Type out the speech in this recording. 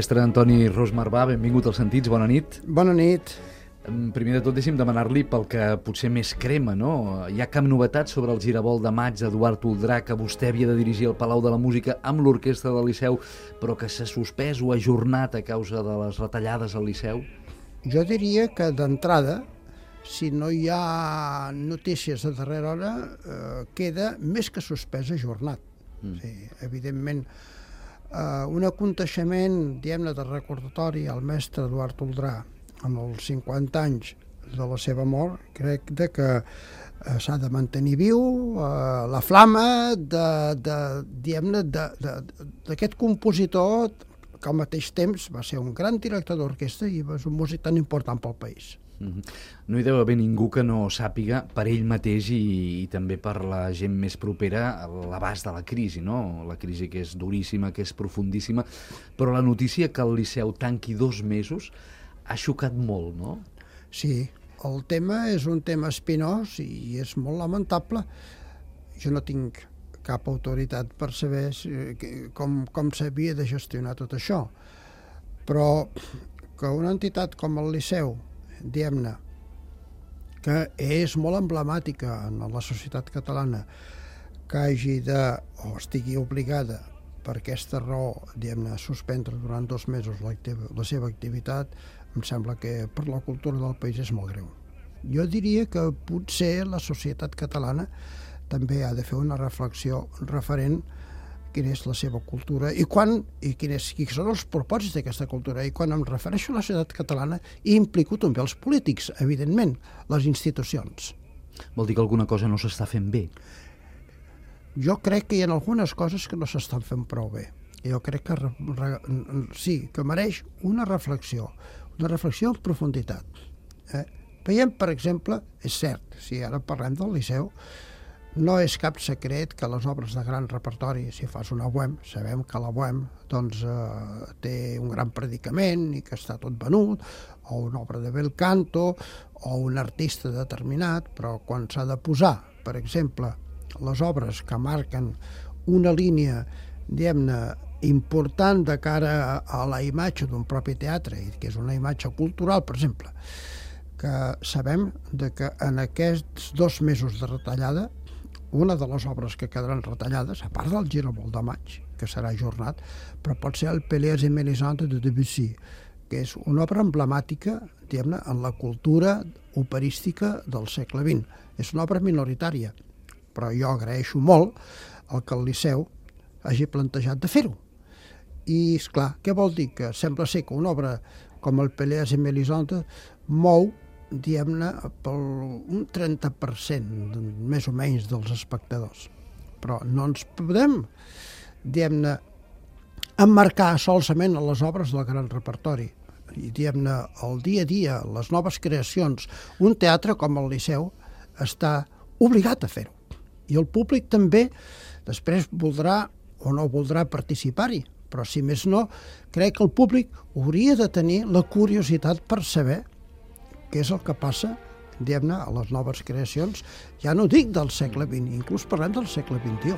mestre Antoni Ros Marvà, benvingut als Sentits, bona nit. Bona nit. Primer de tot, deixi'm demanar-li pel que potser més crema, no? Hi ha cap novetat sobre el Giravolt de maig d'Eduard Oldrà, que vostè havia de dirigir al Palau de la Música amb l'Orquestra del Liceu, però que s'ha suspès o ajornat a causa de les retallades al Liceu? Jo diria que d'entrada, si no hi ha notícies a darrera hora, queda més que suspès ajornat. Sí, evidentment, un aconteixement, diguem-ne, de recordatori al mestre Eduard Oldrà en els 50 anys de la seva mort, crec que s'ha de mantenir viu la flama d'aquest compositor que al mateix temps va ser un gran director d'orquestra i va ser un músic tan important pel país. No hi deu haver ningú que no sàpiga per ell mateix i també per la gent més propera l'abast de la crisi, no? La crisi que és duríssima, que és profundíssima, però la notícia que el Liceu tanqui 2 mesos ha xocat molt, no? Sí, el tema és un tema espinós i és molt lamentable. Jo no tinc cap autoritat per saber com s'havia de gestionar tot això, però que una entitat com el Liceu, diguem-ne, que és molt emblemàtica en la societat catalana, que hagi o estigui obligada per aquesta raó, diguem-ne, suspendre durant 2 mesos la seva activitat, em sembla que per la cultura del país és molt greu. Jo diria que potser la societat catalana també ha de fer una reflexió referent quina és la seva cultura i quins són els propòsits d'aquesta cultura. I quan em refereixo a la societat catalana, hi implico també els polítics, evidentment, les institucions. Vol dir que alguna cosa no s'està fent bé? Jo crec que hi ha algunes coses que no s'estan fent prou bé. Jo crec que sí, que mereix una reflexió en profunditat. Veiem, per exemple, és cert, si ara parlem del Liceu, no és cap secret que les obres de gran repertori, si fas una bohème, sabem que la bohème té un gran predicament i que està tot venut, o una obra de bel canto, o un artista determinat, però quan s'ha de posar, per exemple, les obres que marquen una línia, diguem-ne, important de cara a la imatge d'un propi teatre, que és una imatge cultural, per exemple, que sabem que en aquests 2 mesos de retallada, una de les obres que quedaran retallades, a part del Giravolt de maig, que serà ajornat, però pot ser el Pelléas et Mélisande de Debussy, que és una obra emblemàtica, diguem-ne, en la cultura operística del segle XX. És una obra minoritària, però jo agraeixo molt el que el Liceu hagi plantejat de fer-ho. I, esclar, què vol dir? Que sembla ser que una obra com el Pelléas et Mélisande mou, diguem-ne, per un 30% més o menys dels espectadors. Però no ens podem, diguem-ne, emmarcar solament a les obres del gran repertori. I, diguem-ne, el dia a dia, les noves creacions, un teatre com el Liceu està obligat a fer-ho. I el públic també després voldrà o no voldrà participar-hi, però si més no, crec que el públic hauria de tenir la curiositat per saber què és el que passa, diguem-ne, a les noves creacions, ja no dic del segle XX, inclús parlem del segle XXI.